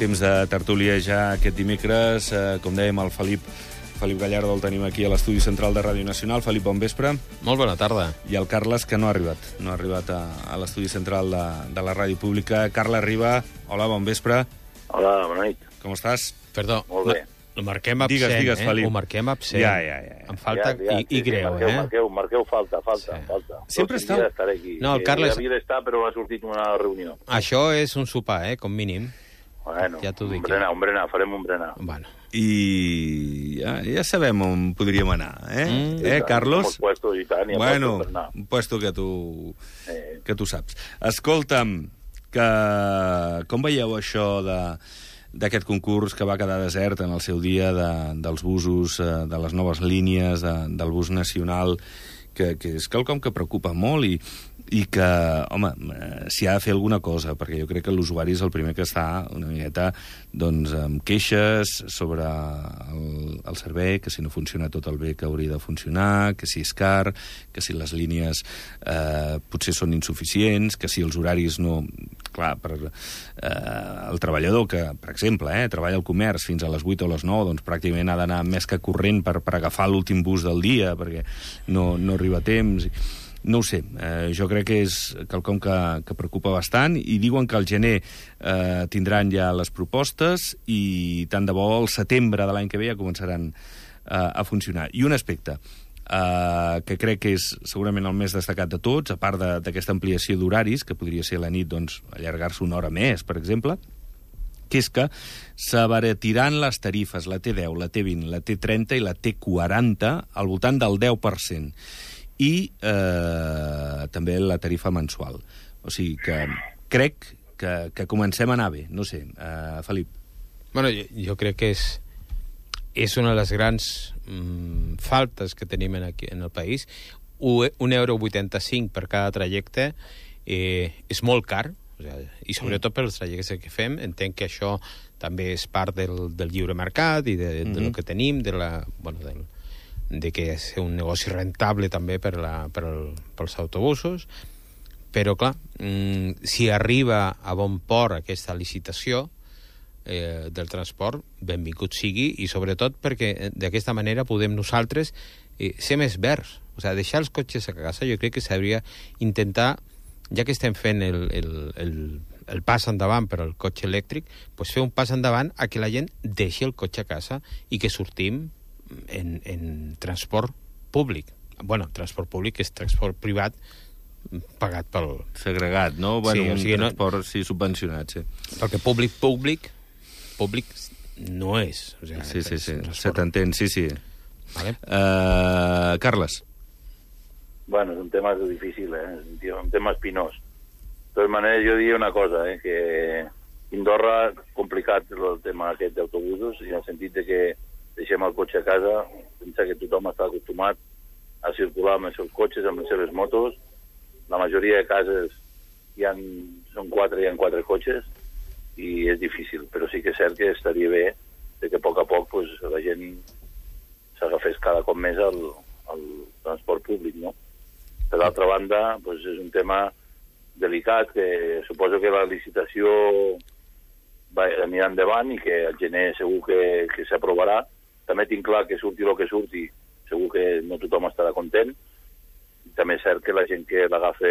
Temps de tertúlia ja aquest dimecres. Com dèiem, el Felip Gallardo el tenim aquí a l'estudi central de Ràdio Nacional. Felip, bon vespre. Molt bona tarda. I el Carles, que no ha arribat a l'estudi central de la ràdio pública. Carles Riba, hola, bon vespre. Hola, bona nit. Com estàs? Perdó, Molt bé. Ho marquem absent, Digues, Felip. Ho marquem absent. Ja. Em falta i greu, Marqueu falta. Sempre està... No, el Carles... Havia d'estar, però ha sortit una reunió. Això és un sopar, com mínim. Bueno, ja t'ho dic. Un berenar, farem un berenar. Bueno. I ja sabem on podríem anar, Carlos? Un puesto i tant, bueno, un puesto que tu saps. Escolta'm, com veieu això d'aquest concurs que va quedar desert en el seu dia dels busos, de les noves línies del bus nacional, que és quelcom que preocupa molt i que, home, s'hi ha de fer alguna cosa, perquè jo crec que l'usuari és el primer que està una miqueta doncs, amb queixes sobre el servei, que si no funciona tot el bé que hauria de funcionar, que si és car, que si les línies potser són insuficients, que si els horaris no... Clar, el treballador que, per exemple, treballa al comerç fins a les 8 o les 9, doncs pràcticament ha d'anar més que corrent per agafar l'últim bus del dia, perquè no arriba a temps... No ho sé, jo crec que és quelcom que preocupa bastant, i diuen que al gener tindran ja les propostes i tant de bo al setembre de l'any que ve ja començaran a funcionar. I un aspecte que crec que és segurament el més destacat de tots, a part d'aquesta ampliació d'horaris, que podria ser a la nit, doncs, allargar-se una hora més, per exemple, que és que s'abaratiran les tarifes, la T10, la T20, la T30 i la T40 al voltant del 10%. I també la tarifa mensual. O sigui que crec que comencem a anar bé. No sé, Felip. Bueno, jo crec que és una de les grans faltes que tenim aquí en el país. €1,85 per cada trajecte és molt car, i sobretot pels trajectes que fem. Entenc que això també és part del lliure mercat i del que tenim, de que és un negoci rentable també pels autobusos, però clar, si arriba a bon port aquesta licitació del transport, benvingut sigui, i sobretot perquè d'aquesta manera podem nosaltres ser més verds, deixar els cotxes a casa. Jo crec que s'hauria intentar, ja que estem fent el pas endavant per al cotxe elèctric, doncs fer un pas endavant a que la gent deixi el cotxe a casa i que sortim en transport públic. Bueno, transport públic és transport privat pagat pel... Segregat, no? Bueno, sí, un transport subvencionat, sí. Perquè públic no és. Sí, se t'entén, sí. Vale. Carles. Bueno, és un tema difícil, és un tema espinós. De totes maneres, jo diria una cosa, que Indorra, complicat el tema aquest d'autobusos, i en el sentit de que deixem el cotxe a casa, pensa que tothom està acostumat a circular amb els seus cotxes, amb les seves motos. La majoria de cases hi ha 4 cotxes i és difícil, però sí que és cert que estaria bé que a poc la gent s'agafés cada cop més al transport públic, no? Per l'altra banda, és un tema delicat, que suposo que la licitació anirà endavant i que al gener segur que s'aprovarà. També tinc clar que surti el que surti, segur que no tothom estarà content. També és cert que la gent que l'agafa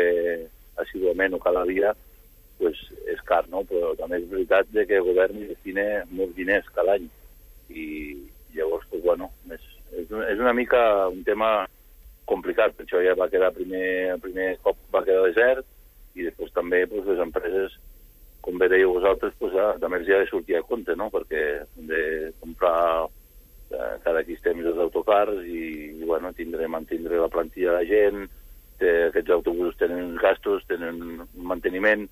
assíduament o cada dia és car, no? Però també és veritat que el govern destina molts diners cada any. I llavors, és una mica un tema complicat. Per això ja va quedar el primer cop va quedar desert, i després també les empreses, com bé dèieu vosaltres, també els ha de sortir a compte, no? Perquè hem de comprar cada X temps els autocars i mantindre la plantilla de la gent, aquests autobusos tenen gastos, tenen un manteniment.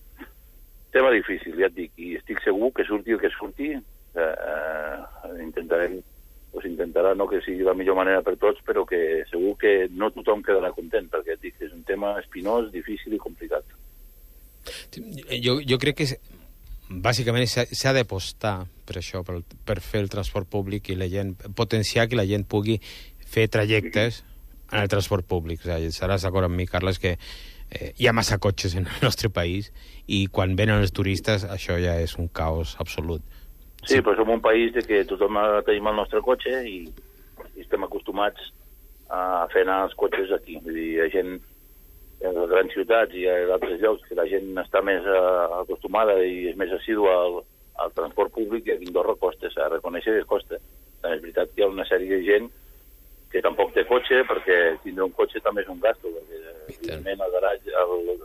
Tema difícil, ja et dic, i estic segur que surti el que surti, intentarà no que sigui la millor manera per tots, però que segur que no tothom quedarà content, perquè et dic, és un tema espinós, difícil i complicat. Jo crec que bàsicament s'ha d'apostar per això, per fer el transport públic i la gent, potenciar que la gent pugui fer trajectes en el transport públic. Estaràs d'acord amb mi, Carles, que hi ha massa cotxes en el nostre país i quan venen els turistes això ja és un caos absolut. Sí, però som un país que tothom tenim el nostre cotxe i estem acostumats a fer anar els cotxes aquí. Vull dir, hi ha gent en les grans ciutats i a altres llocs que la gent està més acostumada i és més assídua al transport públic, i a Andorra costa, s'ha de reconèixer que costa. També és veritat que hi ha una sèrie de gent que tampoc té cotxe, perquè tindre un cotxe també és un gasto, perquè evidentment el garatge,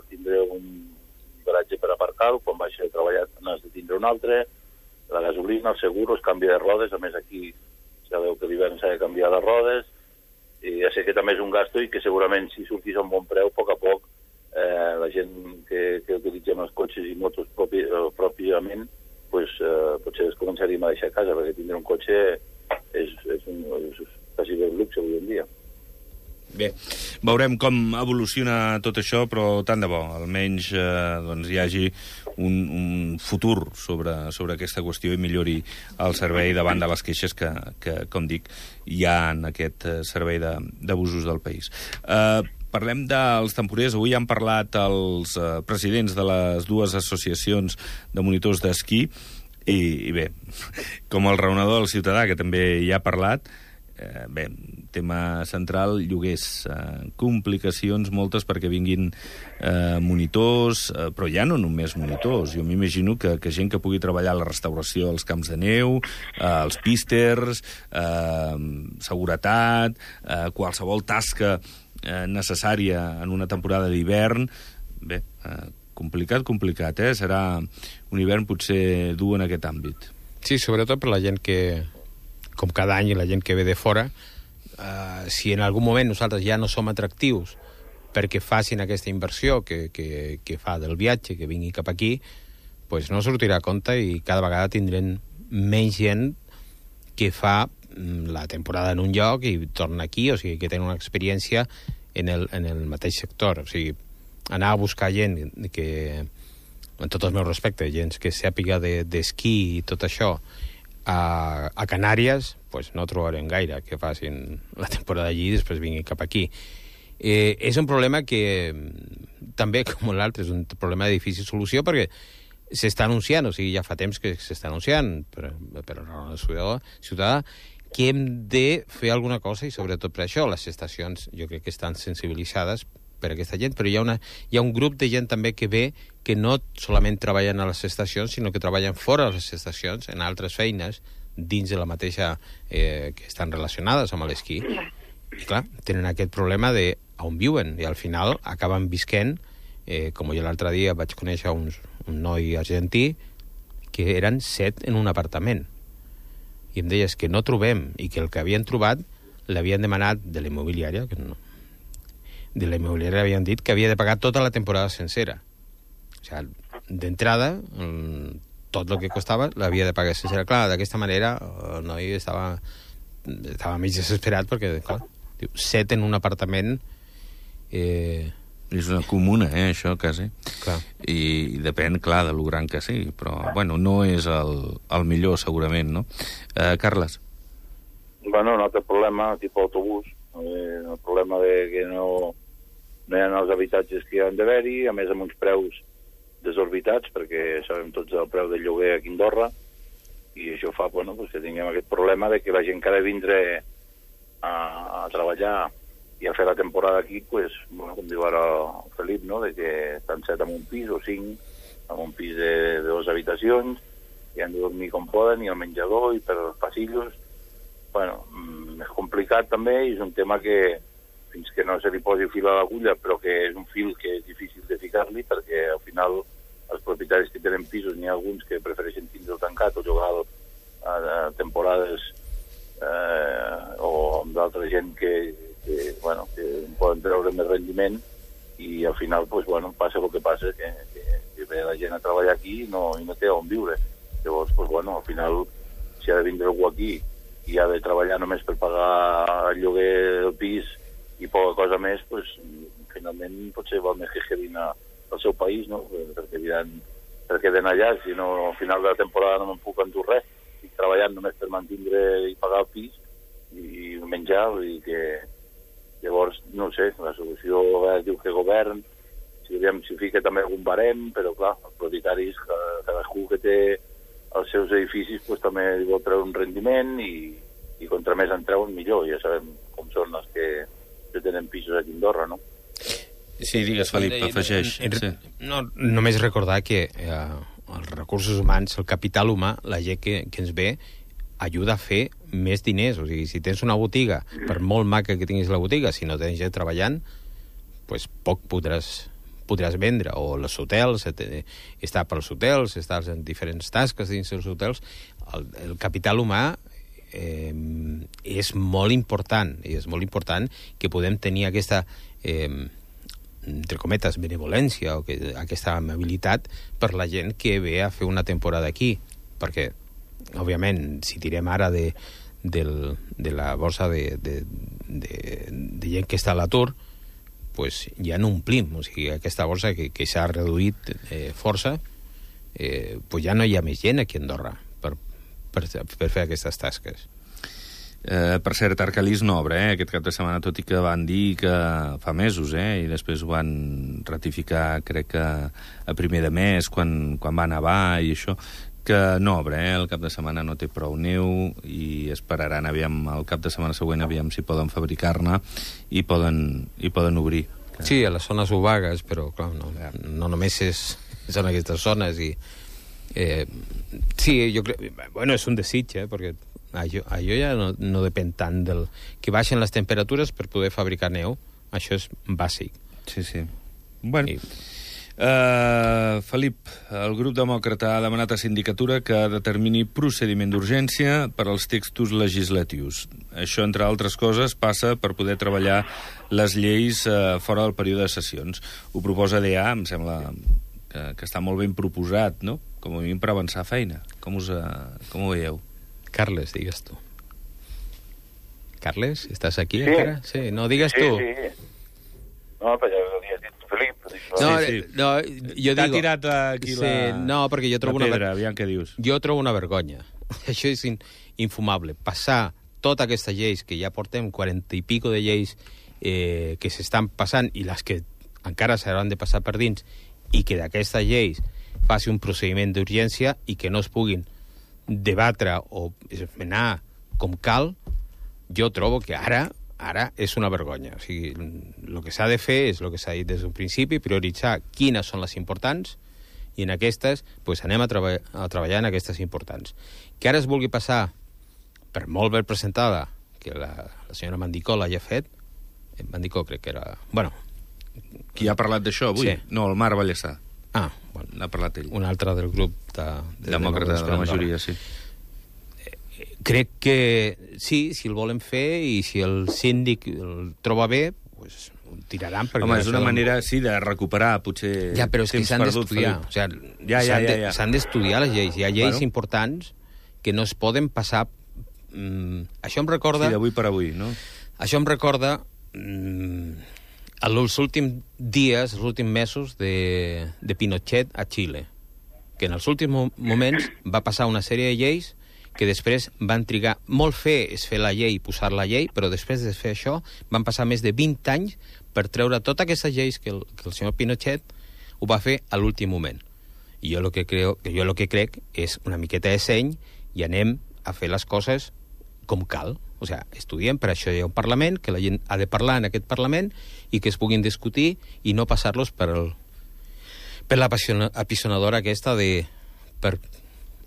tindre un garatge per aparcar, quan vaig a treballar n'has de tindre un altre, la gasolina, el seguro, el canvi de rodes, a més aquí sabeu que l'hivern s'ha de canviar les rodes, i ja sé que també és un gasto i que segurament si sortís a un bon preu, a poc la gent que utilitzem els cotxes i motos pròpiament, potser es començaríem a deixar a casa, perquè tindre un cotxe és quasi un luxe avui en dia. Bé, veurem com evoluciona tot això, però tant de bo, almenys hi hagi un futur sobre aquesta qüestió i millori el servei davant de les queixes que com dic, hi ha en aquest servei d'abusos del país. Parlem dels temporers. Avui han parlat els presidents de les dues associacions de monitors d'esquí i bé, com el raonador del ciutadà, que també hi ha parlat, bé, tema central, lloguers, complicacions moltes perquè vinguin monitors, però ja no només monitors. Jo m'imagino que gent que pugui treballar a la restauració als camps de neu, als písters, seguretat, qualsevol tasca necessària en una temporada d'hivern. Bé, complicat, Serà un hivern potser dur en aquest àmbit. Sí, sobretot per la gent que, com cada any, la gent que ve de fora, si en algun moment nosaltres ja no som atractius perquè facin aquesta inversió que fa del viatge, que vingui cap aquí, pues no sortirà a compte i cada vegada tindrem menys gent que fa la temporada en un lloc i torna aquí, o sigui, que tenen una experiència en el mateix sector. O sigui, anar a buscar gent que, en tots els meus respectes, gent que sàpiga d'esquí i tot això, a Canàries, pues no trobarem gaire que facin la temporada allí i després vinguin cap aquí. És un problema que també, com l'altre, és un problema de difícil solució perquè s'està anunciant, o sigui, ja fa temps que s'està anunciant per el ciutadà que hem de fer alguna cosa, i sobretot per això les estacions jo crec que estan sensibilitzades per aquesta gent, però hi ha un grup de gent també que ve que no solament treballen a les estacions, sinó que treballen fora de les estacions, en altres feines, dins de la mateixa que estan relacionades amb l'esquí. I clar, tenen aquest problema de on viuen, i al final acaben visquent, com jo l'altre dia vaig conèixer un noi argentí que eren 7 en un apartament. I em deies que no trobem, i que el que havien trobat l'havien demanat de la immobiliària, que no. De la immobiliària havien dit que havia de pagar tota la temporada sencera. O sigui, d'entrada, tot el que costava l'havia de pagar sencera. Clar, d'aquesta manera el noi estava mig desesperat perquè, clar, 7 en un apartament... És una comuna, això, quasi. Clar. I depèn, clar, de lo gran que sigui, però, bueno, no és el millor, segurament, no? Carles? Bueno, un altre problema, tipus autobús, el problema de que no hi ha els habitatges que hi han d'haver-hi, a més amb uns preus desorbitats, perquè sabem tots el preu del lloguer aquí a Andorra, i això fa que tinguem aquest problema de que la gent que ha de vindre a treballar i a fer la temporada aquí, com diu ara el Felip, no? De que estan 7 en un pis o 5 en un pis de 2 habitacions, i han de dormir com poden, i al menjador, i per els passillos. És complicat també, i és un tema que fins que no se li posi fil a l'agulla, però que és un fil que és difícil de ficar-li, perquè al final els propietaris que tenen pisos, n'hi ha alguns que prefereixen tindre-ho tancat o jugar a temporades o amb d'altra gent que poden treure més rendiment, i al final passa el que passa, que ve la gent a treballar aquí i no té on viure. Llavors, al final, si ha de vindre algú aquí i ha de treballar només per pagar el lloguer del pis i poca cosa més, finalment potser val més que quedin al seu país, no? Perquè diran, per què d'anar allà, si no, al final de la temporada no me'n puc endur res, estic treballant només per mantindre i pagar el pis i menjar, vull dir que llavors, no sé, la solució diu que govern, si fica també algun barem, però clar, els propietaris, cadascú que té els seus edificis pues, també vol treure un rendiment i contra més en treuen millor. Ja sabem com són els que tenen pisos aquí a Andorra, no? Sí, digues, Felip, afegeix. No, només recordar que els recursos humans, el capital humà, la gent que ens ve, ajuda a fer més diners. O sigui, si tens una botiga, per molt maca que tinguis la botiga, si no tens gent treballant, pues poc podràs vendre. O els hotels, estar pels hotels, estar en diferents tasques dins dels hotels. El capital humà és molt important, i és molt important que podem tenir aquesta entre cometes, benevolència o aquesta amabilitat per la gent que ve a fer una temporada aquí, perquè òbviament si tirem ara de la borsa de gent que està a l'atur, pues ja no omplim, o sigui, aquesta borsa que s'ha reduït força, pues ja no hi ha més gent aquí a Andorra per fer aquestes tasques. Per cert, Arcalís no obre aquest cap de setmana, tot i que van dir que fa mesos, i després ho van ratificar, crec que a primer de mes, quan va nevar i això, que no obre, el cap de setmana no té prou neu i esperaran aviam el cap de setmana següent aviam si poden fabricar-ne i poden obrir. Sí, a les zones obagues, però clar, no només són aquestes zones i sí, jo crec, bueno, és un desig, perquè allò ja no depèn tant del que baixen les temperatures per poder fabricar neu, això és bàsic. Sí. Bueno, Felip, el grup demòcrata ha demanat a Sindicatura que determini procediment d'urgència per als textos legislatius. Això, entre altres coses, passa per poder treballar les lleis fora del període de sessions. Ho proposa DA, em sembla que està molt ben proposat, no? Com a mínim per avançar feina. Com ho veieu? Carles, digues tu. Carles, estàs aquí encara? Sí, no, digues tu. Sí. No, però ja ho has dit, Felip. No, jo t'ha digo... tirat aquí no, perquè jo trobo la pedra, aviam què dius. Jo trobo una vergonya. Això és infumable. Passar totes aquestes lleis, que ja portem 40 i pico de lleis que s'estan passant i les que encara s'hauran de passar per dins, i que d'aquestes lleis faci un procediment d'urgència i que no es puguin debatre o esmenar com cal, jo trobo que ara és una vergonya. O sigui, el que s'ha de fer és el que s'ha dit des d'un principi, prioritzar quines són les importants, i en aquestes pues, anem a treballar en aquestes importants. Que ara es vulgui passar, per molt ben presentada, que la senyora Mandicó l'hagi fet, Mandicó crec que era... Bueno, qui ha parlat d'això avui? Sí. No, el Marc Vallèsà. Bueno, n'ha parlat ell. Un altre del grup demòcrata de la majoria, sí. Crec que sí, si el volen fer i si el síndic el troba bé, pues, ho tiraran. Home, és una manera, sí, de recuperar, potser... Ja, però és que s'han d'estudiar. O sigui, s'han d'estudiar les lleis. Hi ha lleis importants que no es poden passar... Això em recorda... Sí, d'avui per avui, no? Això em recorda... els últims dies, els últims mesos de Pinochet a Xile, que en els últims moments va passar una sèrie de lleis que després van trigar molt és fer la llei, posar la llei, però després de fer això van passar més de 20 anys per treure totes aquestes lleis que el senyor Pinochet ho va fer a l'últim moment. I jo el que crec és una miqueta de seny i anem a fer les coses com cal. O sigui, estudiem, per això hi ha un Parlament, que la gent ha de parlar en aquest Parlament i que es puguin discutir i no passar-los per la apisonadora aquesta per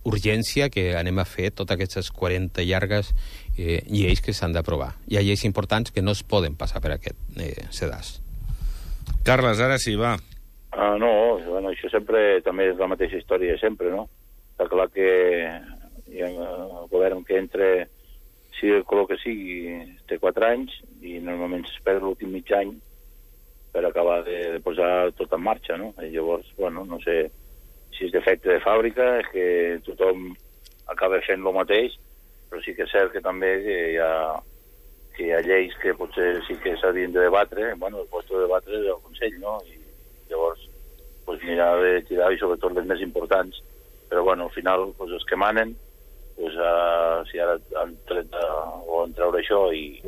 urgència que anem a fer totes aquestes 40 llargues lleis que s'han d'aprovar. Hi ha lleis importants que no es poden passar per aquest sedàs. Carles, ara sí, va. No, bueno, això sempre també és la mateixa història de sempre, no? Està clar que el govern que entra, sigui el color que sigui, té 4 anys i normalment s'espera l'últim mig any per acabar de posar tot en marxa, no? I llavors, bueno, no sé si és defecte de fàbrica, és que tothom acaba fent el mateix, però sí que és cert que també hi ha lleis que potser sí que s'havien de debatre, bueno, el lloc de debatre és el Consell, no? I llavors, pues, n'hi ha de tirar, i sobretot les més importants, però bueno, al final, pues, els que manen, pues, si ara han volen treure això i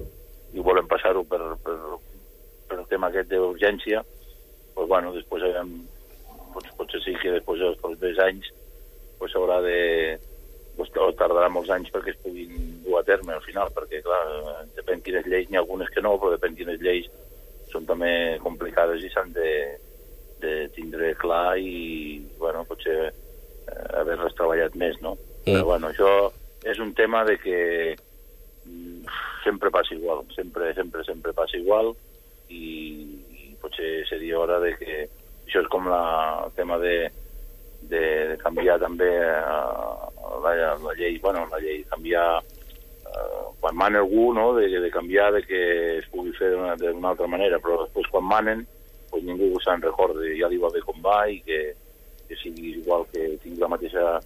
volen passar-ho per el tema aquest d'urgència, pues, bueno, després potser sí que després dels propers anys s'haurà de tardarà molts anys perquè es puguin dur a terme al final, perquè, clar, depèn quines lleis, n'hi ha algunes que no, però depèn quines lleis són també complicades i s'han de tindre clar i, bueno, potser haver-les treballat més, no? Però, bueno, això és un tema de que sempre passa igual, sempre passa igual i potser seria hora de que... Això és com el tema de canviar també la llei, canviar quan mana algú, no?, de canviar, de que es pugui fer d'una altra manera, però després quan manen pues ningú se'n recorda, ja li va bé com va i que sigui igual, que tingui la mateixa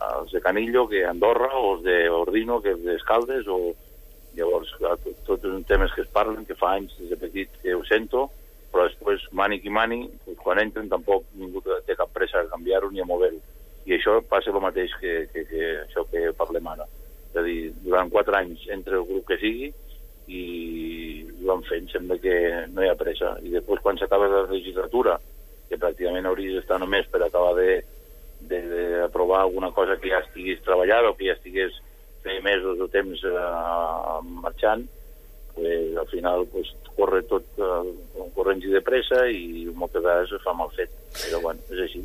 els de Canillo que Andorra o els d'Ordino que els d'Escaldes, o llavors tots els temes que es parlen, que fa anys des de petit que ho sento, però després mani qui mani, quan entren tampoc ningú té cap pressa a canviar-ho ni a mover-ho. I això passa el mateix que això que parlem ara. És a dir, durant 4 anys entre el grup que sigui i ho van fent, sembla que no hi ha pressa. I després quan s'acaba la legislatura, que pràcticament hauries d'estar només per acabar d'aprovar alguna cosa que ja estigués treballada o que ja estigués feia mesos o temps marxant, pues, al final pues, corre tot corrents i de pressa i moltes vegades es fa mal fet, però bueno, és així.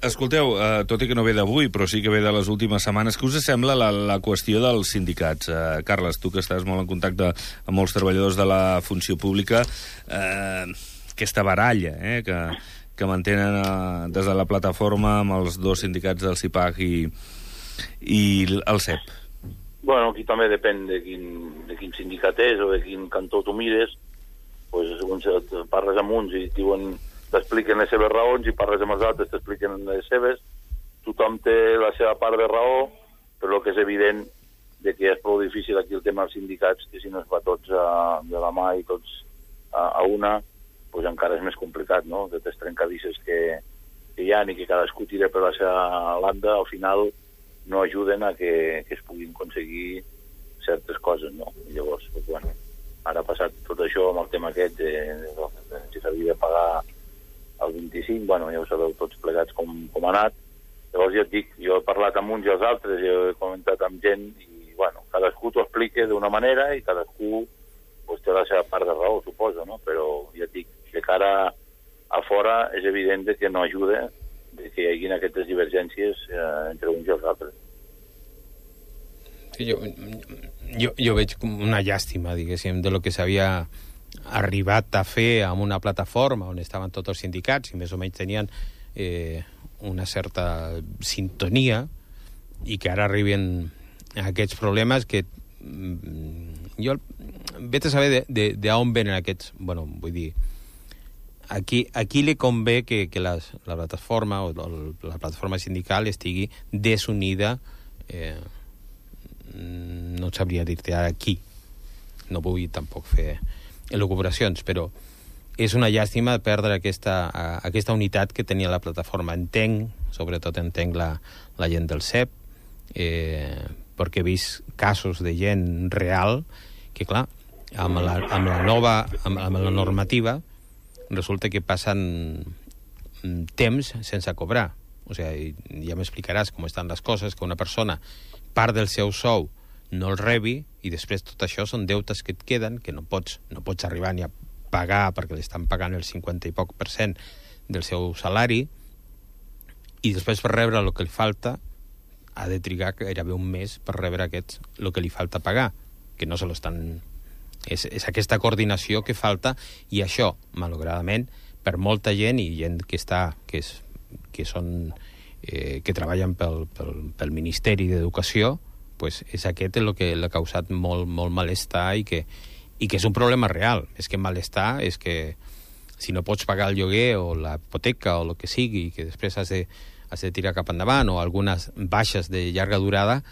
Escolteu, tot i que no ve d'avui, però sí que ve de les últimes setmanes, què us sembla la qüestió dels sindicats? Carles, tu que estàs molt en contacte amb molts treballadors de la funció pública, aquesta baralla que mantenen des de la plataforma amb els 2 sindicats del CIPAG i el CEP. Bueno, aquí també depèn de quin sindicat és o de quin cantó tu mires, pues, segons parles amb uns i t'expliquen les seves raons i parles amb els altres t'expliquen les seves. Tothom té la seva part de raó, però el que és evident de que és prou difícil aquí el tema dels sindicats, que si no es va tots de la mà i tots a una, pues encara és més complicat, no? Aquestes trencadisses que hi ha i que cadascú tira per la seva banda, al final no ajuden a que es puguin aconseguir certes coses, no? I llavors, pues, bueno, ara ha passat tot això amb el tema aquest de si s'havia de pagar el 25, bueno, ja ho sabeu tots plegats com ha anat. Llavors ja et dic, jo he parlat amb uns i els altres, jo he comentat amb gent i, bueno, cadascú t'ho explica d'una manera i cadascú pues, té la seva part de raó, suposo, no? Però ja et dic, de cara a fora és evident que no ajuda de que hi hagi aquestes divergències entre uns i els altres. Sí, jo veig com una llàstima, diguéssim, de lo que s'havia arribat a fer amb una plataforma on estaven tots els sindicats i més o menys tenien una certa sintonia i que ara arriben aquests problemes que jo vet a saber d'on venen aquests, bueno, vull dir, aquí li convé que la plataforma o la plataforma sindical estigui desunida, no sabria dir-te ara aquí, no vull tampoc fer elucubracions, però és una llàstima perdre aquesta unitat que tenia la plataforma. Sobretot entenc la gent del CEP, perquè he vist casos de gent real que, clar, amb la normativa resulta que passen temps sense cobrar. O sigui, ja m'explicaràs com estan les coses, que una persona part del seu sou no el rebi i després tot això són deutes que et queden, que no pots arribar ni a pagar perquè li estan pagant el 50 i poc % del seu salari, i després per rebre el que li falta ha de trigar gairebé un mes per rebre el que li falta pagar, que no se l'estan... És aquesta coordinació que falta, i això, malauradament, per molta gent i gent que treballen pel Ministeri d'Educació, pues és aquest el que l'ha causat molt malestar i que és un problema real. És que malestar és que si no pots pagar el lloguer o la hipoteca o el que sigui, que després has de tirar cap endavant, o algunes baixes de llarga durada,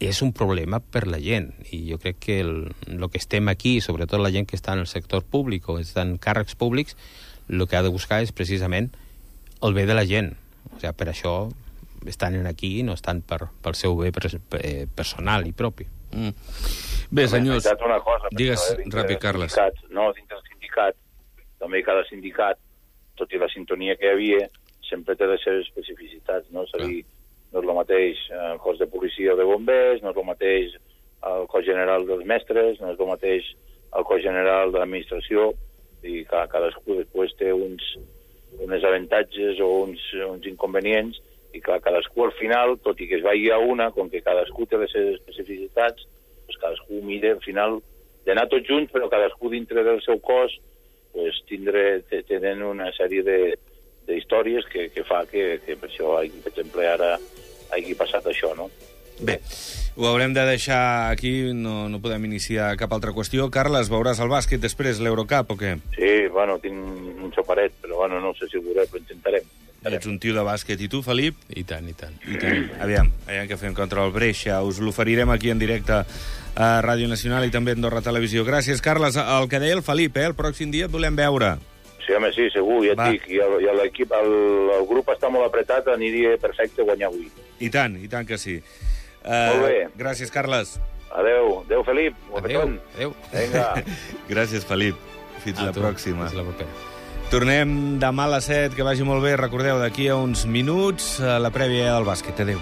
és un problema per la gent. I jo crec que el que estem aquí, sobretot la gent que està en el sector públic o està en càrrecs públics, el que ha de buscar és precisament el bé de la gent. O sigui, per això estan aquí i no estan pel seu bé personal i propi. Bé, senyors, una cosa, digues ràpid, Carles. No, dintre del sindicat, també cada sindicat, tot i la sintonia que hi havia, sempre té les seves especificitats, no? És a dir, no és el mateix el cos de policia o de bombers, no és el mateix el cos general dels mestres, no és el mateix el cos general de l'administració, i cadascú després té uns avantatges o uns inconvenients, i clar, cadascú al final, tot i que es vagi a una, com que cadascú té les seves especificitats, doncs cadascú mira al final d'anar tots junts, però cadascú dintre del seu cos pues, tenen una sèrie d'històries que fa que per això, per exemple, ara hagi passat això, no? Bé, ho haurem de deixar aquí, no podem iniciar cap altra qüestió. Carles, veuràs el bàsquet després, l'Eurocup, o què? Sí, bueno, tinc un soparet, però bueno, no sé si ho veuré, però intentarem. Ets un tio de bàsquet. I tu, Felip? I tant, i tant. Aviam què fem contra el Brescia. Us l'oferirem aquí en directe a Ràdio Nacional i també a Andorra Televisió. Gràcies, Carles. El que deia el Felip, el pròxim dia et volem veure. Sí, home, sí, segur, ja et dic. I l'equip, el grup està molt apretat, aniria perfecte guanyar avui. I tant que sí. Molt bé. Gràcies, Carles. Adéu, Felip. Adéu. Vinga. Gràcies, Felip. Fins la pròxima. Fins la propera. Tornem demà a les 7, que vagi molt bé. Recordeu, d'aquí a uns minuts, la prèvia del bàsquet. Adéu.